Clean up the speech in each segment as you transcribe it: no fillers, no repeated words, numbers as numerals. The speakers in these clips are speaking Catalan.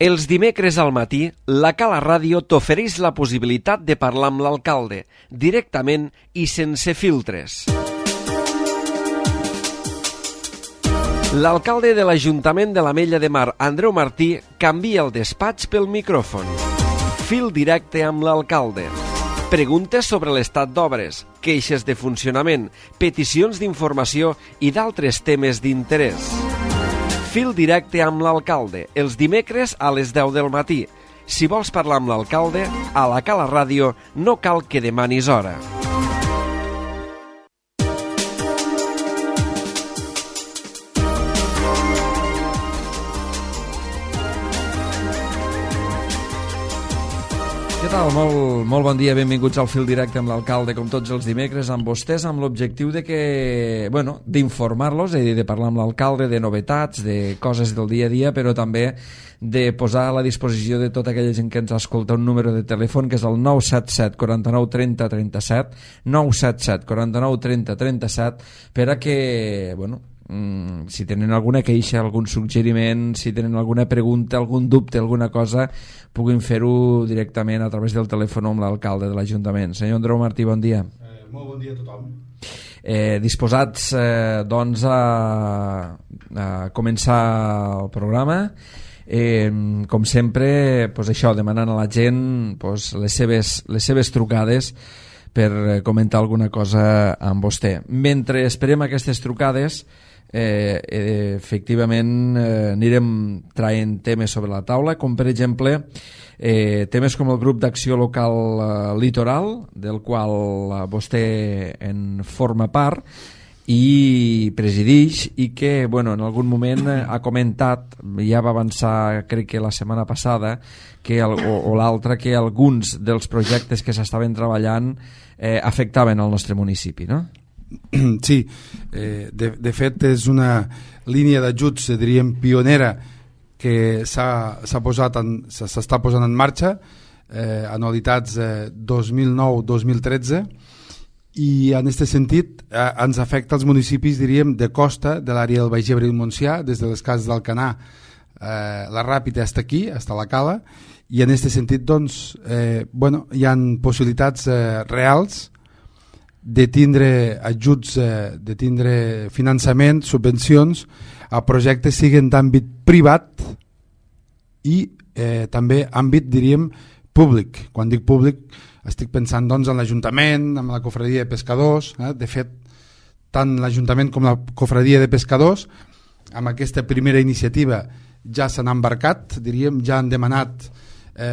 Els dimecres al matí, la Cala Ràdio t'ofereix la possibilitat de parlar amb l'alcalde, directament i sense filtres. L'alcalde de l'Ajuntament de l'Ametlla de Mar, Andreu Martí, canvia el despatx pel micròfon. Fil directe amb l'alcalde. Preguntes sobre l'estat d'obres, queixes de funcionament, peticions d'informació i d'altres temes d'interès. Fil directe amb l'alcalde, els dimecres a les 10 del matí. Si vols parlar amb l'alcalde, a la Cala Ràdio no cal que demanis hora. Què tal? Molt bon dia, benvinguts al Fil Directe amb l'alcalde, com tots els dimecres, amb vostès, amb l'objectiu de que, d'informar-los, és a dir, de parlar amb l'alcalde, de novetats, de coses del dia a dia, però també de posar a la disposició de tota aquella gent que ens escolta un número de telèfon, que és el 977 49 30 37, 977 49 30 37, per a que, si tenen alguna queixa, algun suggeriment, si tenen alguna pregunta, algun dubte, alguna cosa, puguin fer-ho directament a través del telèfon amb l'alcalde de l'Ajuntament. Senyor Andreu Martí, bon dia. Molt bon dia a tothom. Disposats, doncs, a començar el programa. Com sempre, això, demanant a la gent les seves trucades per comentar alguna cosa amb vostè. Mentre esperem aquestes trucades, efectivament anirem traient temes sobre la taula, com per exemple temes com el grup d'acció local Litoral, del qual vostè en forma part i presidix, i que en algun moment ha comentat, ja va avançar crec que la setmana passada o l'altra, que alguns dels projectes que s'estaven treballant afectaven al nostre municipi, no? Sí, de fet és una línia d'ajuts, diríem, pionera, que s'està posant en marxa, anualitats 2009-2013, i en aquest sentit ens afecta els municipis, diríem, de costa, de l'àrea del Baix Ebre i el Montsià, des de les cases d'Alcanar, la Ràpita fins aquí, fins a la Cala, i en aquest sentit doncs, hi ha possibilitats reals de tindre ajuts, de tindre finançament, subvencions a projectes siguen d'àmbit privat i també àmbit, diríem, públic. Quan dic públic estic pensant doncs en l'Ajuntament, en la Cofradia de Pescadors. De fet, tant l'Ajuntament com la Cofradia de Pescadors amb aquesta primera iniciativa ja s'han embarcat, diríem, ja han demanat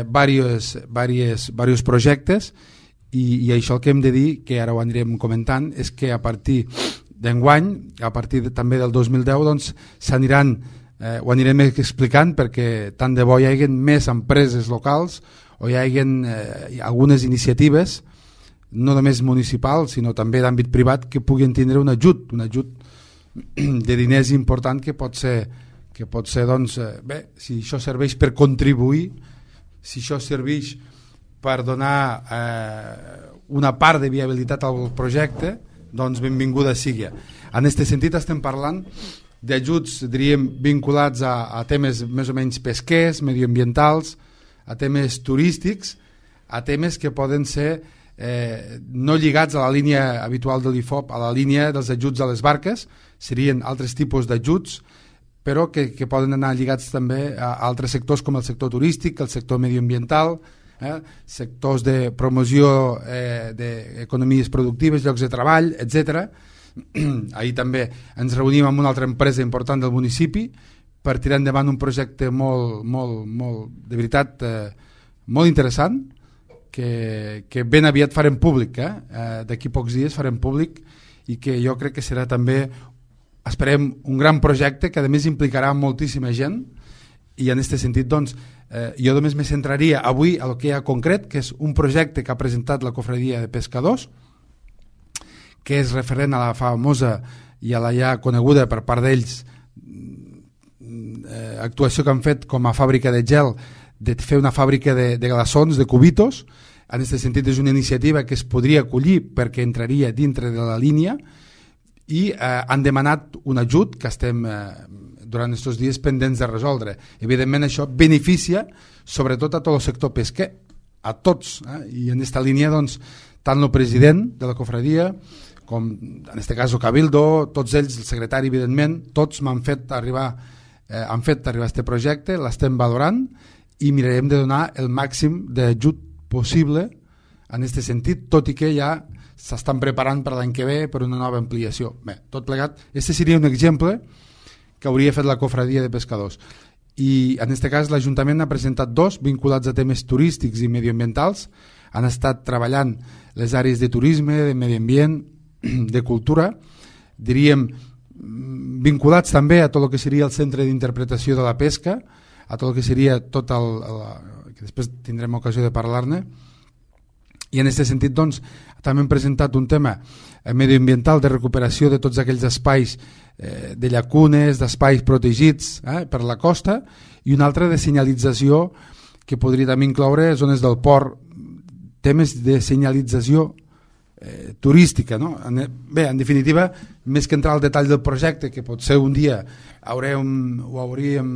diversos projectes. I això el que hem de dir, que ara ho anirem comentant, és que a partir d'enguany, a partir també del 2010, doncs s'aniran, ho anirem explicant, perquè tant de bo hi hagi més empreses locals o hi hagi algunes iniciatives, no només municipals, sinó també d'àmbit privat, que puguin tindre un ajut de diners important, que pot ser doncs, si això serveix per contribuir, si això serveix per donar una part de viabilitat al projecte, doncs benvinguda sigui. En aquest sentit estem parlant d'ajuts, diríem, vinculats a temes més o menys pesquers, medioambientals, a temes turístics, a temes que poden ser no lligats a la línia habitual de l'IFOP, a la línia dels ajuts a les barques, serien altres tipus d'ajuts, però que poden anar lligats també a altres sectors com el sector turístic, el sector medioambiental, sectors de promoció d'economies productives, llocs de treball, etc. Ahir també ens reunim amb una altra empresa important del municipi per tirar endavant un projecte de veritat molt interessant, que ben aviat farem públic, d'aquí pocs dies farem públic, i que jo crec que serà també, esperem, un gran projecte que a més implicarà moltíssima gent. I en aquest sentit, doncs, jo només me centraria avui a el que hi ha concret, que és un projecte que ha presentat la Cofradia de Pescadors, que és referent a la famosa i a la ja coneguda per part d'ells actuació que han fet com a fàbrica de gel, de fer una fàbrica de glaçons, de cubitos. En aquest sentit és una iniciativa que es podria acollir perquè entraria dintre de la línia, i han demanat un ajut que estem durant aquests dies pendents de resoldre. Evidentment això beneficia sobretot a tot el sector pesquer, a tots, i en aquesta línia doncs, tant el president de la cofradia com en aquest cas el Cabildo, tots ells, el secretari evidentment, tots m'han fet arribar aquest projecte, l'estem valorant i mirarem de donar el màxim d'ajut possible en aquest sentit, tot i que ja s'estan preparant per l'any que ve per una nova ampliació. Bé, tot plegat, aquest seria un exemple que hauria fet la cofradia de pescadors. I en aquest cas l'Ajuntament ha presentat 2 vinculats a temes turístics i medioambientals. Han estat treballant les àrees de turisme, de medi ambient, de cultura, diríem vinculats també a tot el que seria el centre d'interpretació de la pesca, a tot el que seria tot que després tindrem ocasió de parlar-ne. I en aquest sentit doncs, també hem presentat un tema medioambiental de recuperació de tots aquells espais de llacunes, d'espais protegits per la costa, i un altre de senyalització que podria també incloure zones del port, temes de senyalització turística, no? Bé, en definitiva, més que entrar al detall del projecte, que potser un dia hauríem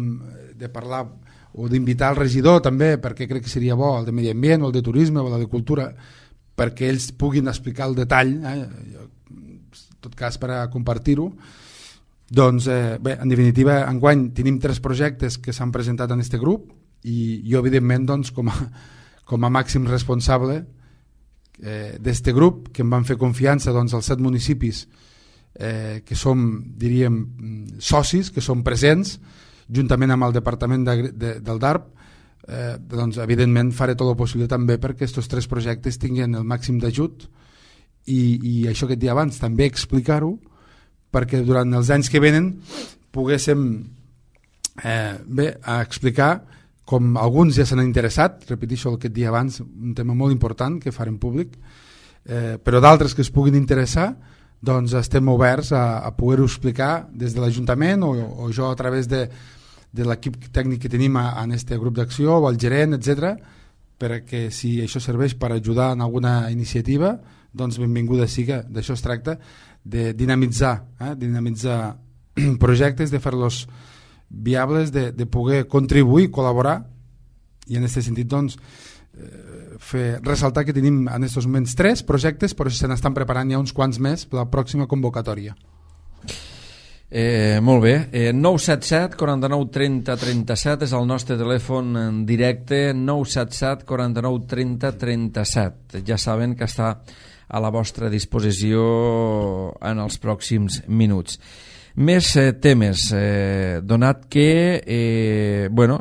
de parlar o d'invitar el regidor també, perquè crec que seria bo, el de medi ambient o el de turisme o el de cultura, perquè ells puguin explicar el detall, en tot cas per a compartir-ho. Doncs bé, en definitiva, enguany tenim 3 projectes que s'han presentat en aquest grup i jo evidentment doncs, com a màxim responsable d'aquest grup, que em van fer confiança doncs, als 7 municipis que som, diríem, socis, que som presents, juntament amb el departament del DARP, doncs evidentment faré tot el possible també perquè aquests 3 projectes tinguin el màxim d'ajut i això que et dia abans, també explicar-ho perquè durant els anys que venen poguéssim explicar, com alguns ja s'han interessat, repeteixo el que et dia abans, un tema molt important que farem públic, però d'altres que es puguin interessar, doncs estem oberts a poder-ho explicar des de l'Ajuntament o jo a través de l'equip tècnic que tenim en aquest grup d'acció o el gerent, etc, perquè si això serveix per ajudar en alguna iniciativa, doncs benvinguda siga. D'això es tracta, de dinamitzar projectes, de fer-los viables, de poder contribuir, col·laborar, i en aquest sentit doncs ressaltar que tenim en aquests moments 3 projectes, però se n'estan preparant ja uns quants més per la pròxima convocatòria. Molt bé, 977 49 30 37 és el nostre telèfon en directe, 977 49 30 37. Ja saben que està a la vostra disposició en els pròxims minuts. Més temes, donat que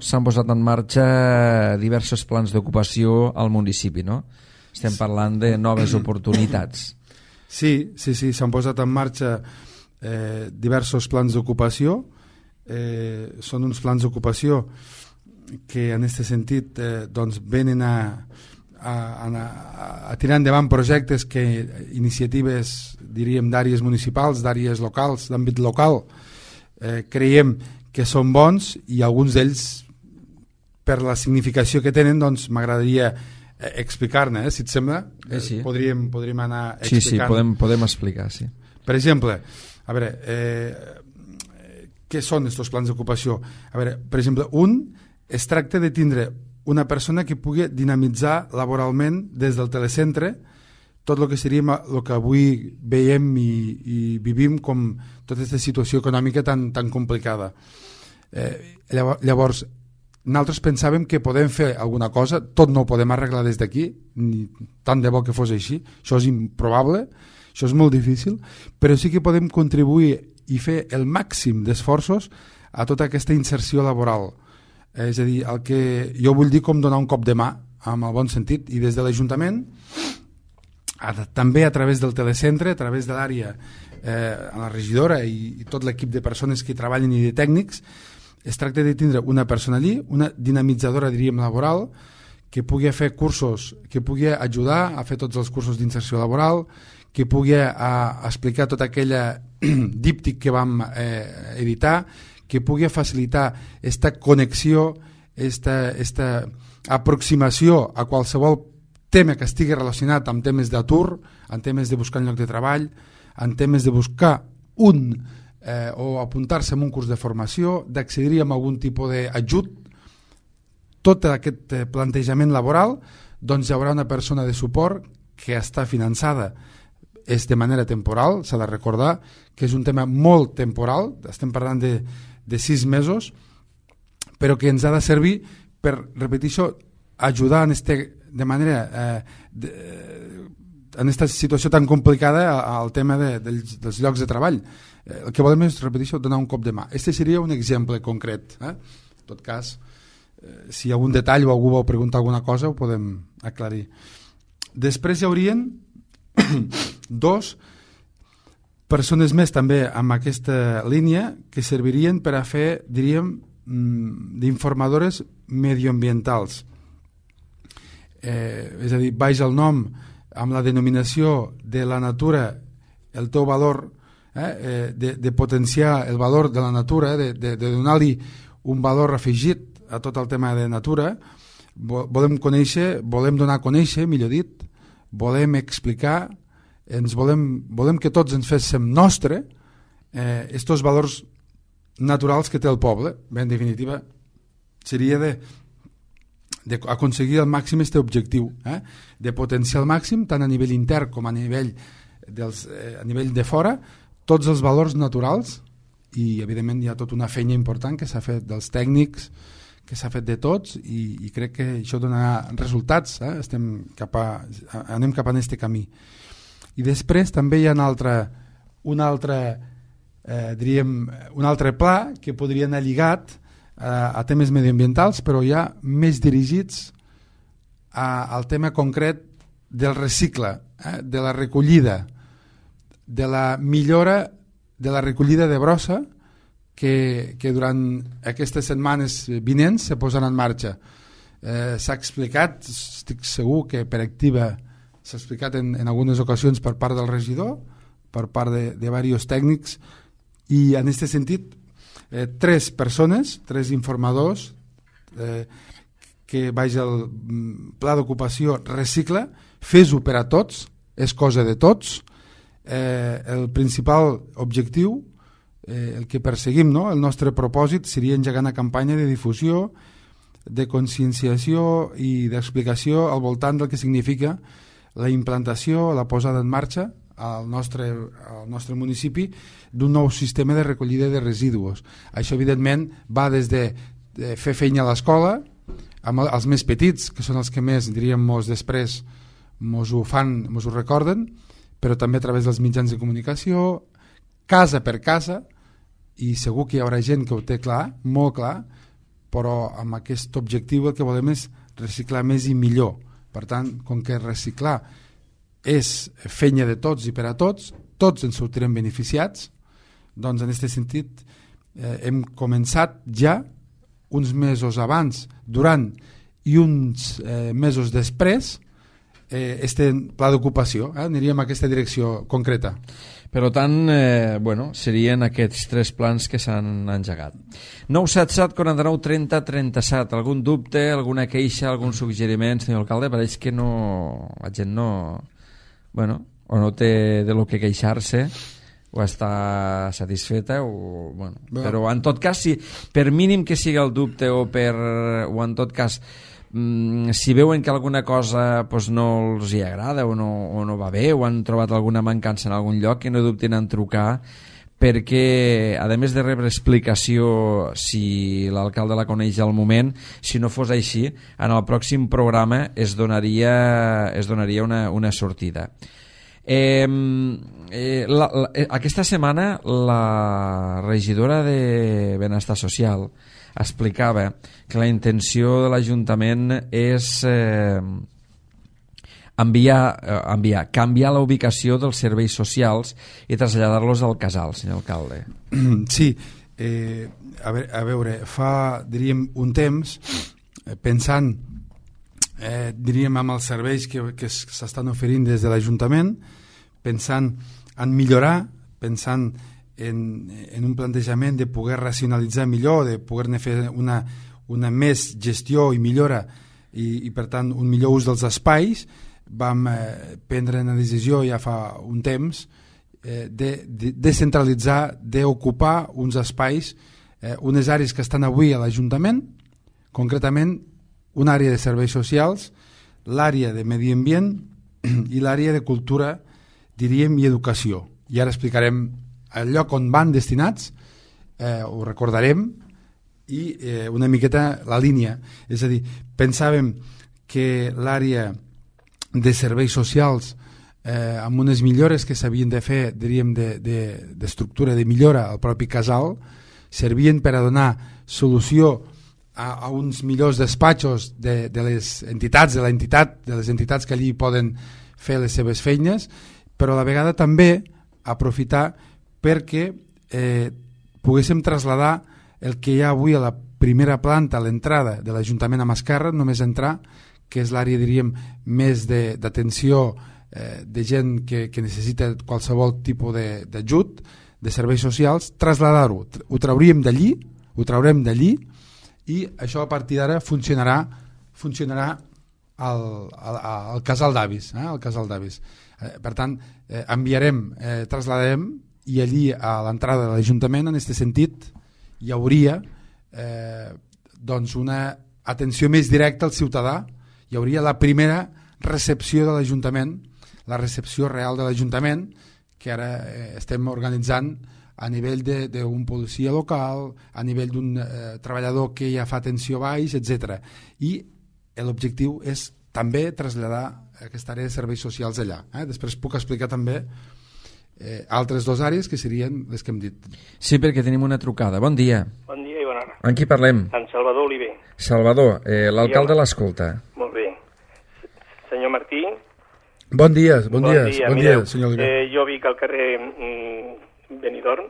s'han posat en marxa diversos plans d'ocupació al municipi, no? Estem parlant de noves oportunitats. Sí, s'han posat en marxa diversos plans d'ocupació. Són uns plans d'ocupació que en aquest sentit doncs venen a tirar endavant projectes que iniciatives, diríem, d'àrees municipals, d'àrees locals, d'àmbit local, creiem que són bons i alguns d'ells, per la significació que tenen, doncs m'agradaria explicar-ne, si et sembla. Sí. Podríem anar explicant. Sí, podem explicar, sí. Per exemple, a veure, què són aquests plans d'ocupació? A veure, per exemple, es tracta de tindre una persona que pugui dinamitzar laboralment des del telecentre tot el que seria el que avui veiem i vivim com tota aquesta situació econòmica tan complicada. Llavors, nosaltres pensàvem que podem fer alguna cosa, tot no ho podem arreglar des d'aquí, ni tant de bo que fos així, això és improbable, això és molt difícil, però sí que podem contribuir i fer el màxim d'esforços a tota aquesta inserció laboral. És a dir, el que jo vull dir com donar un cop de mà, amb el bon sentit, i des de l'Ajuntament, també a través del telecentre, a través de l'àrea, a la regidora i tot l'equip de persones que hi treballen i de tècnics, es tracta de tindre una persona allí, una dinamitzadora, diríem, laboral, que pugui fer cursos, que pugui ajudar a fer tots els cursos d'inserció laboral, que pugui explicar tota aquella díptic que vam editar, que pugui facilitar aquesta connexió, aquesta aproximació a qualsevol tema que estigui relacionat amb temes d'atur, en temes de buscar un lloc de treball, en temes de buscar un o apuntar-se en un curs de formació, d'accedir a algun tipus d'ajut, tot aquest plantejament laboral, doncs hi haurà una persona de suport que està finançada, és de manera temporal, s'ha de recordar que és un tema molt temporal, estem parlant de 6 mesos, però que ens ha de servir per, repetir-ho, ajudar de manera en aquesta situació tan complicada al tema dels llocs de treball. El que volem és, repetir-ho, donar un cop de mà. Este seria un exemple concret. En tot cas, si hi ha algun detall o algú vol preguntar alguna cosa, ho podem aclarir. Després hi haurien 2 persones més també amb aquesta línia que servirien per a fer, diríem, d'informadores medioambientals. És a dir, baix el nom amb la denominació de la natura, el teu valor, de potenciar el valor de la natura, de donar-li un valor afegit a tot el tema de natura. Volem donar a conèixer, millor dit, volem explicar, volem que tots ens féssim nostre estos valors naturals que té el poble. Bé, en definitiva, seria d'aconseguir al màxim aquest objectiu, de potenciar al màxim, tant a nivell intern com a nivell de fora, tots els valors naturals, i evidentment hi ha tota una feina important que s'ha fet dels tècnics, que s'ha fet de tots, i crec que això donarà resultats. Anem cap a aquest camí. I després també hi ha un altre pla que podria anar lligat a temes medioambientals, però ja més dirigits al tema concret del recicle, de la recollida, de la millora de la recollida de brossa que durant aquestes setmanes vinents se posaran en marxa. S'ha explicat, estic segur que per activa s'ha explicat en algunes ocasions per part del regidor, per part de diversos tècnics, i en aquest sentit 3 persones, 3 informadors que baix el pla d'ocupació recicla, fes-ho per a tots, és cosa de tots. El principal objectiu, el que perseguim, no? El nostre propòsit seria engegar una campanya de difusió, de conscienciació i d'explicació al voltant del que significa la implantació, la posada en marxa al nostre municipi d'un nou sistema de recollida de residus. Això evidentment va des de fer feina a l'escola, amb els més petits, que són els que més, diríem, després mos ho recorden, però també a través dels mitjans de comunicació, casa per casa, i segur que hi haurà gent que ho té clar, molt clar, però amb aquest objectiu el que volem és reciclar més i millor. Per tant, com que reciclar és feina de tots i per a tots ens sortirem beneficiats, doncs en aquest sentit hem començat ja uns mesos abans, durant i uns mesos després este pla d'ocupació, aniríem a aquesta direcció concreta. Per tant, serien aquests 3 plans que s'han engegat. 977 49 30 37. Algun dubte, alguna queixa, algun suggeriment, senyor alcalde? Pareix que la gent o no té de lo que queixar-se, o està satisfeta, però en tot cas, per mínim que sigui el dubte, o en tot cas si veuen que alguna cosa no els hi agrada o no va bé, o han trobat alguna mancança en algun lloc, que no dubtin en trucar, perquè a més de rebre explicació si l'alcalde la coneix al moment, si no fos així, en el pròxim programa es donaria una sortida. Aquesta setmana la regidora de Benestar Social explicava que la intenció de l'Ajuntament és canviar la ubicació dels serveis socials i traslladar-los al Casal, senyor alcalde. Sí, a veure, fa, diríem, un temps, pensant, diríem, amb els serveis que s'estan oferint des de l'Ajuntament, pensant en millorar, pensant en un plantejament de poder racionalitzar millor, de poder-ne fer una més gestió i millora i per tant un millor ús dels espais, vam prendre una decisió ja fa un temps descentralitzar, d'ocupar uns espais, unes àrees que estan avui a l'Ajuntament, concretament una àrea de serveis socials, l'àrea de medi ambient i l'àrea de cultura, diríem, i educació. I ara explicarem el lloc on van destinats, ho recordarem, i una miqueta la línia. És a dir, pensàvem que l'àrea de serveis socials, amb unes millores que s'havien de fer, diríem, d'estructura, de millora al propi casal, servien per a donar solució a uns millors despatxos de les entitats, de les entitats que allí poden fer les seves feines, però a la vegada també aprofitar perquè poguéssim traslladar el que hi ha avui a la primera planta, a l'entrada de l'Ajuntament a mà esquerra, només entrar, que és l'àrea, diríem, més d'atenció de gent que necessita qualsevol tipus d'ajut, de serveis socials, traslladar-ho. Ho traurem d'allí i això a partir d'ara funcionarà al casal d'avis. Per tant, traslladarem, i allí a l'entrada de l'Ajuntament, en aquest sentit, hi hauria una atenció més directa al ciutadà, hi hauria la primera recepció de l'Ajuntament, la recepció real de l'Ajuntament, que ara estem organitzant a nivell d'un policia local, a nivell d'un treballador que ja fa atenció baix, etc. I l'objectiu és també traslladar aquesta àrea de serveis socials allà. Després puc explicar també altres dues àrees que serien les que hem dit. Sí, perquè tenim una trucada. Bon dia. Bon dia i bona hora. Amb qui parlem? En Salvador Oliver. Salvador, l'alcalde l'escolta. Molt bé. Senyor Martí. Bon dia, senyor Oliver. Jo vic al carrer Benidorm.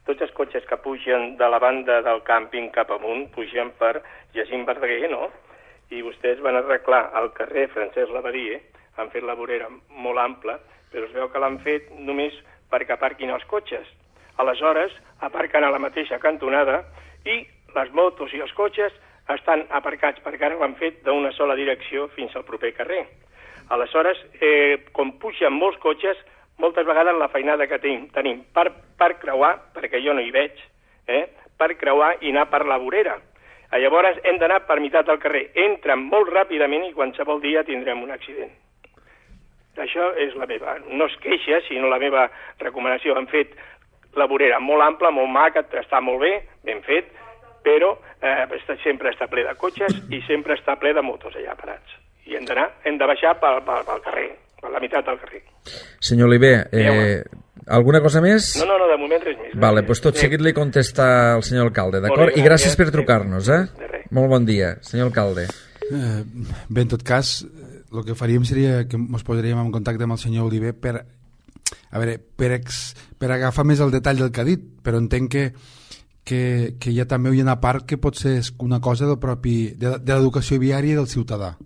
Tots els cotxes que pugen de la banda del càmping cap amunt pugen per Jacint Verdaguer, no? I vostès van arreglar el carrer Francesc Lavadie, han fet la vorera molt ampla, però es veu que l'han fet només perquè aparquin els cotxes. Aleshores, aparquen a la mateixa cantonada i les motos i els cotxes estan aparcats perquè ara ho han fet d'una sola direcció fins al proper carrer. Aleshores, com pugen molts cotxes, moltes vegades la feinada que tenim per creuar, perquè jo no hi veig, per creuar i anar per la vorera. Llavors hem d'anar per meitat del carrer. Entren molt ràpidament i qualsevol dia tindrem un accident. Això és la meva, no es queixa, sinó la meva recomanació. Han fet la vorera molt ampla, molt maca, està molt bé, ben fet, però sempre està ple de cotxes i sempre està ple de motos allà parats. I hem de baixar pel carrer, per la meitat del carrer. Senyor Oliver, alguna cosa més? No, de moment res més. Vale, doncs tot seguit li contesta el senyor alcalde, d'acord? I gràcies per trucar-nos, Molt bon dia, senyor alcalde. Bé, en tot cas, el que faríem seria que ens posaríem en contacte amb el senyor Oliver per agafar més el detall del que ha dit, però entenc que hi ha també una part que pot ser una cosa de l'educació viària i del ciutadà.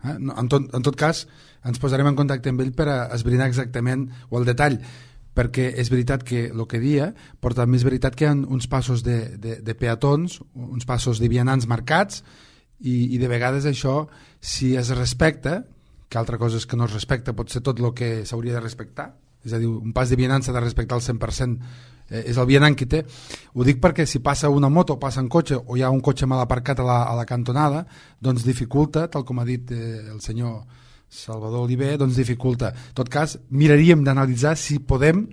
En tot cas, ens posarem en contacte amb ell per a esbrinar exactament o el detall, perquè és veritat que el que dia, però també és veritat que hi ha uns passos de peatons, uns passos de vianants marcats, i de vegades això, si es respecta, que altra cosa és que no es respecta, pot ser tot el que s'hauria de respectar, és a dir, un pas de vianant s'ha de respectar al 100%, és el vianant qui té. Ho dic perquè si passa una moto, passa un cotxe o hi ha un cotxe mal aparcat a la cantonada, doncs dificulta, tal com ha dit el senyor Salvador Oliver, doncs dificulta. En tot cas, miraríem d'analitzar si podem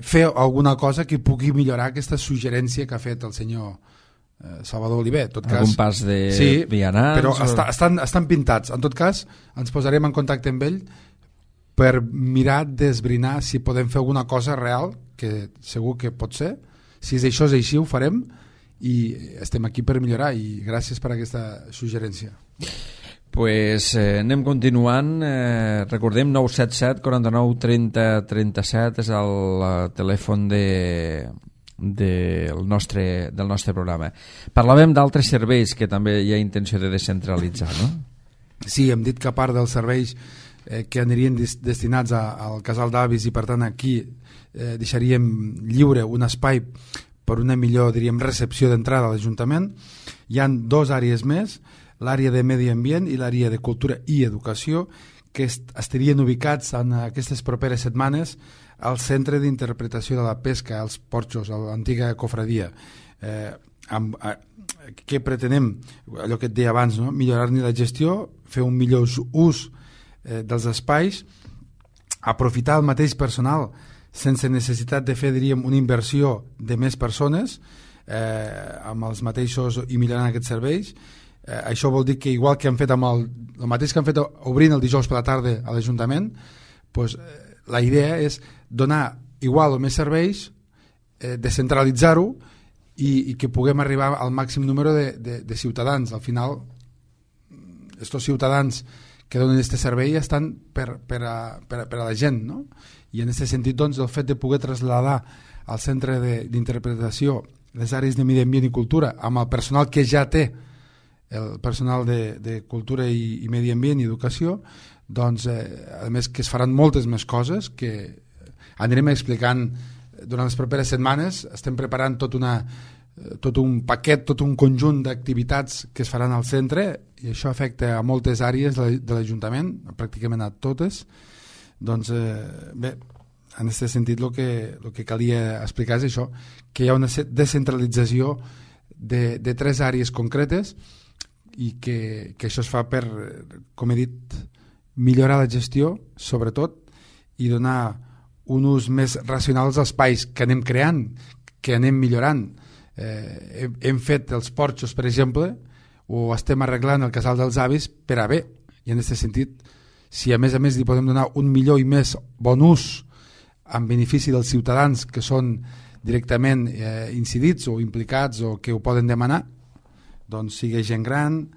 fer alguna cosa que pugui millorar aquesta suggerència que ha fet el senyor Salvador Oliver. En tot cas, algun pas de vianants? Però estan pintats. En tot cas, ens posarem en contacte amb ell per mirar d'esbrinar si podem fer alguna cosa real, que segur que pot ser. Si això és així, ho farem, i estem aquí per millorar, i gràcies per aquesta suggerència. Pues anem continuant. Recordem, 977 49 30 37 és el telèfon del nostre programa. Parlàvem d'altres serveis que també hi ha intenció de descentralitzar, no? Sí, hem dit que a part dels serveis que anirien destinats al casal d'avis, i per tant aquí deixaríem lliure un espai per una millor, diríem, recepció d'entrada a l'Ajuntament, hi han dues àrees més, l'àrea de medi ambient i l'àrea de cultura i educació, que estarien ubicats en aquestes properes setmanes al Centre d'Interpretació de la Pesca, als Porxos, a l'antiga cofradia. Què pretenem? Allò que et deia abans, no? Millorar-ne la gestió, fer un millor ús dels espais, aprofitar el mateix personal sense necessitat de fer, diríem, una inversió de més persones amb els mateixos i millorant aquests serveis. Això vol dir que igual que han fet amb el mateix que han fet obrint el dijous per la tarda a l'Ajuntament, doncs, la idea és donar igual o més serveis, descentralitzar-ho i que puguem arribar al màxim número de ciutadans. Al final, estos ciutadans que donen aquest servei estan per a la gent, no? I en aquest sentit, doncs, el fet de poder traslladar al centre d'interpretació les àrees de medi ambient i cultura amb el personal que ja té, el personal de cultura i medi ambient i educació, doncs, a més que es faran moltes més coses que anirem explicant durant les properes setmanes. Estem preparant tot un paquet, tot un conjunt d'activitats que es faran al centre, i això afecta a moltes àrees de l'Ajuntament, pràcticament a totes. Doncs bé, en aquest sentit el que calia explicar és això, que hi ha una descentralització de 3 àrees concretes i que això es fa per, com he dit, millorar la gestió, sobretot, i donar un ús més racional als espais que anem creant, que anem millorant. Hem fet els porxos, per exemple, o estem arreglant el casal dels avis per a bé, i en aquest sentit, si a més li podem donar un millor i més bon ús en benefici dels ciutadans que són directament incidits o implicats o que ho poden demanar, doncs sigui gent gran,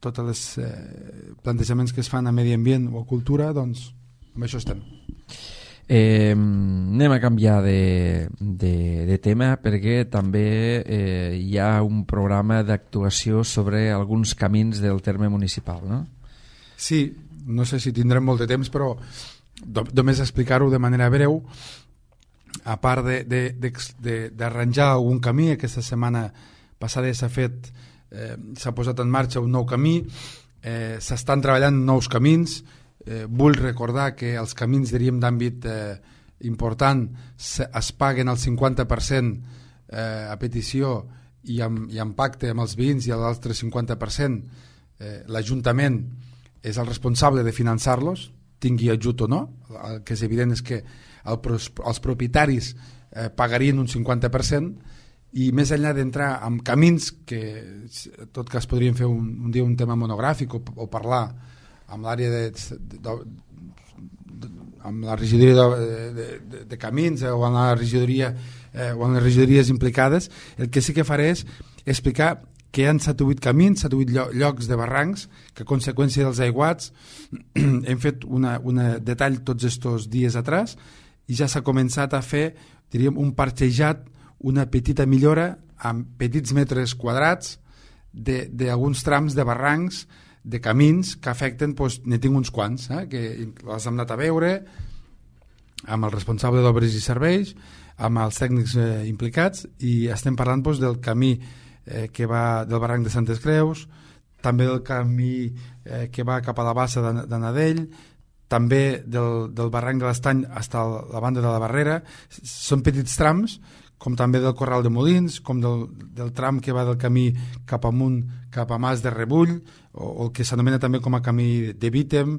tots els plantejaments que es fan a medi ambient o a cultura, doncs amb això estem. Anem a canviar de tema, perquè també hi ha un programa d'actuació sobre alguns camins del terme municipal, no? Sí, no sé si tindrem molt de temps, però només explicar-ho de manera breu. A part d'arranjar algun camí, aquesta setmana passada s'ha posat en marxa un nou camí, s'estan treballant nous camins. Vull recordar que els camins, diríem, d'àmbit important es paguen el 50% a petició i amb pacte amb els veïns, i l'altre 50% l'Ajuntament és el responsable de finançar-los, tingui ajut o no. El que és evident és que els propietaris pagarien un 50%, i més enllà d'entrar en camins, que en tot cas podríem fer un dia un tema monogràfic o parlar amb l'àrea amb la regidoria de camins o amb la regidoria o amb les regidories implicades, el que sí que faré és explicar que hi ha 7 o 8 camins, 7 o 8 llocs de barrancs que a conseqüència dels aiguats hem fet un detall tots estos dies atrás, i ja s'ha començat a fer, diríem, un parxejat, una petita millora amb petits metres quadrats d'alguns trams de barrancs, de camins que afecten, doncs, ne tinc uns quants, que les hem anat a veure amb el responsable d'obres i serveis, amb els tècnics implicats, i estem parlant, doncs, del camí que va del barranc de Santes Creus, també del camí que va cap a la bassa de Nadell, també del barranc de l'Estany fins a la banda de la Barrera. Són petits trams, com també del Corral de Molins, com del tram que va del camí cap amunt, cap a Mas de Rebull, o el que s'anomena també com a camí de Vítem,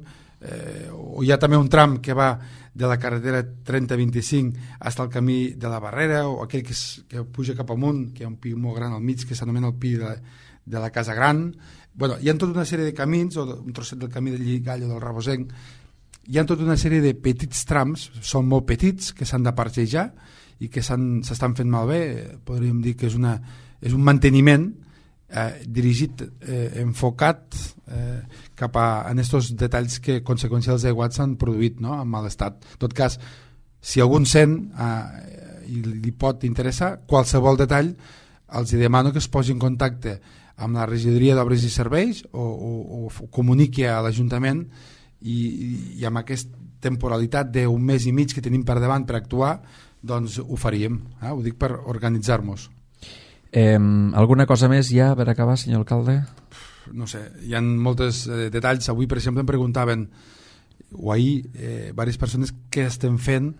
o hi ha també un tram que va de la carretera 3025 fins al camí de la Barrera, o aquell que puja cap amunt, que hi ha un pi molt gran al mig que s'anomena el pi de la Casa Gran. Bueno, hi ha tota una sèrie de camins, o un trosset del camí del Lligall o del Rabosenc, hi ha tota una sèrie de petits trams, són molt petits, que s'han de parxejar i que s'estan fent malbé. Podríem dir que és un manteniment dirigit, enfocat cap a aquests detalls que a conseqüència dels aiguats s'han produït, no?, en mal estat. En tot cas, si algun sent i li pot interessar qualsevol detall, els demano que es posi en contacte amb la regidoria d'Obres i Serveis o comuniqui a l'Ajuntament, i amb aquesta temporalitat d'un mes i mig que tenim per davant per actuar, doncs ho faríem, ho dic per organitzar-nos. Alguna cosa més ja per acabar, senyor alcalde? No sé, hi ha molts detalls. Avui, per exemple, em preguntaven o ahir, diverses persones que estem fent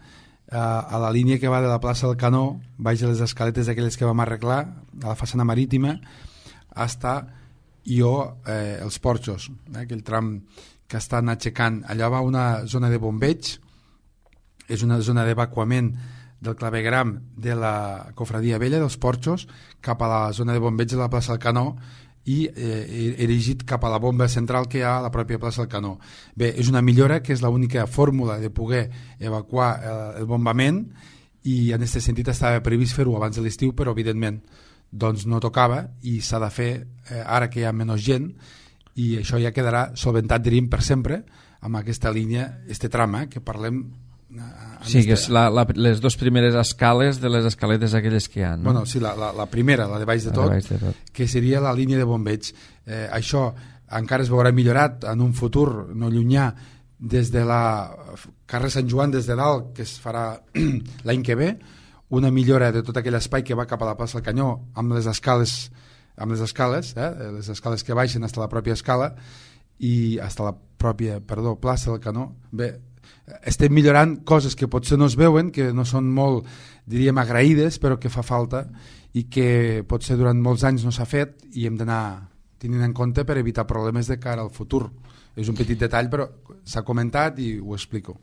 a la línia que va de la plaça del Canó, baix de les escaletes d'aquelles que vam arreglar, a la façana marítima, hasta els Porxos, aquell tram que estan aixecant. Allà va una zona de bombeig, és una zona d'evacuament del clavegram de la Cofradia Vella dels Porxos cap a la zona de bombeig de la plaça del Canó i erigit cap a la bomba central que hi ha a la pròpia plaça del Canó. Bé, és una millora que és l'única fórmula de poder evacuar el bombament i en aquest sentit estava previst fer-ho abans de l'estiu, però evidentment doncs no tocava i s'ha de fer ara que hi ha menys gent i això ja quedarà solventat, diríem, per sempre amb aquesta línia, este trama que parlem. Sí, que és les dues primeres escales de les escaletes aquelles que hi ha, no? Bueno, sí, la primera, la de baix de tot, que seria la línia de bombeig. Això encara es veurà millorat en un futur no llunyà des de la carrer Sant Joan des de dalt, que es farà l'any que ve, una millora de tot aquell espai que va cap a la plaça del Canyó amb les escales, les escales que baixen fins a la pròpia escala i fins a la pròpia, plaça del Canó. Bé, estem millorant coses que potser no es veuen, que no són molt, diríem, agraïdes, però que fa falta i que potser durant molts anys no s'ha fet i hem d'anar tenint en compte per evitar problemes de cara al futur. És un petit detall, però s'ha comentat i ho explico.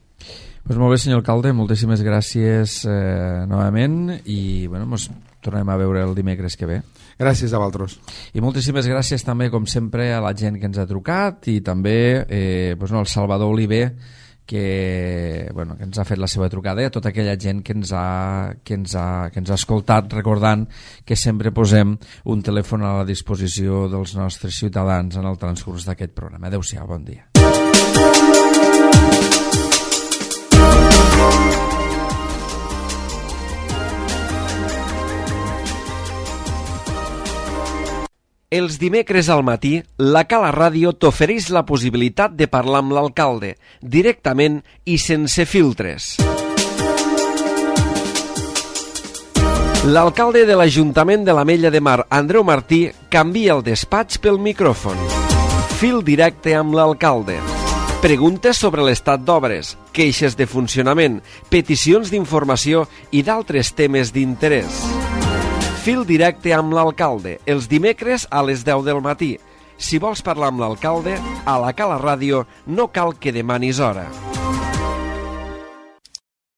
Pues molt bé, senyor alcalde, moltíssimes gràcies novament i ens tornem a veure el dimecres que ve. Gràcies a vosaltres. I moltíssimes gràcies també, com sempre, a la gent que ens ha trucat i també el Salvador Oliver, que ens ha fet la seva trucada, i a tota aquella gent que ens ha escoltat, recordant que sempre posem un telèfon a la disposició dels nostres ciutadans en el transcurs d'aquest programa. Adéu-siau, bon dia. Els dimecres al matí, la Cala Ràdio t'ofereix la possibilitat de parlar amb l'alcalde, directament i sense filtres. L'alcalde de l'Ajuntament de l'Ametlla de Mar, Andreu Martí, canvia el despatx pel micròfon. Fil directe amb l'alcalde. Preguntes sobre l'estat d'obres, queixes de funcionament, peticions d'informació i d'altres temes d'interès. Fil directe amb l'alcalde, els dimecres a les 10 del matí. Si vols parlar amb l'alcalde, a la Cala Ràdio no cal que demanis hora.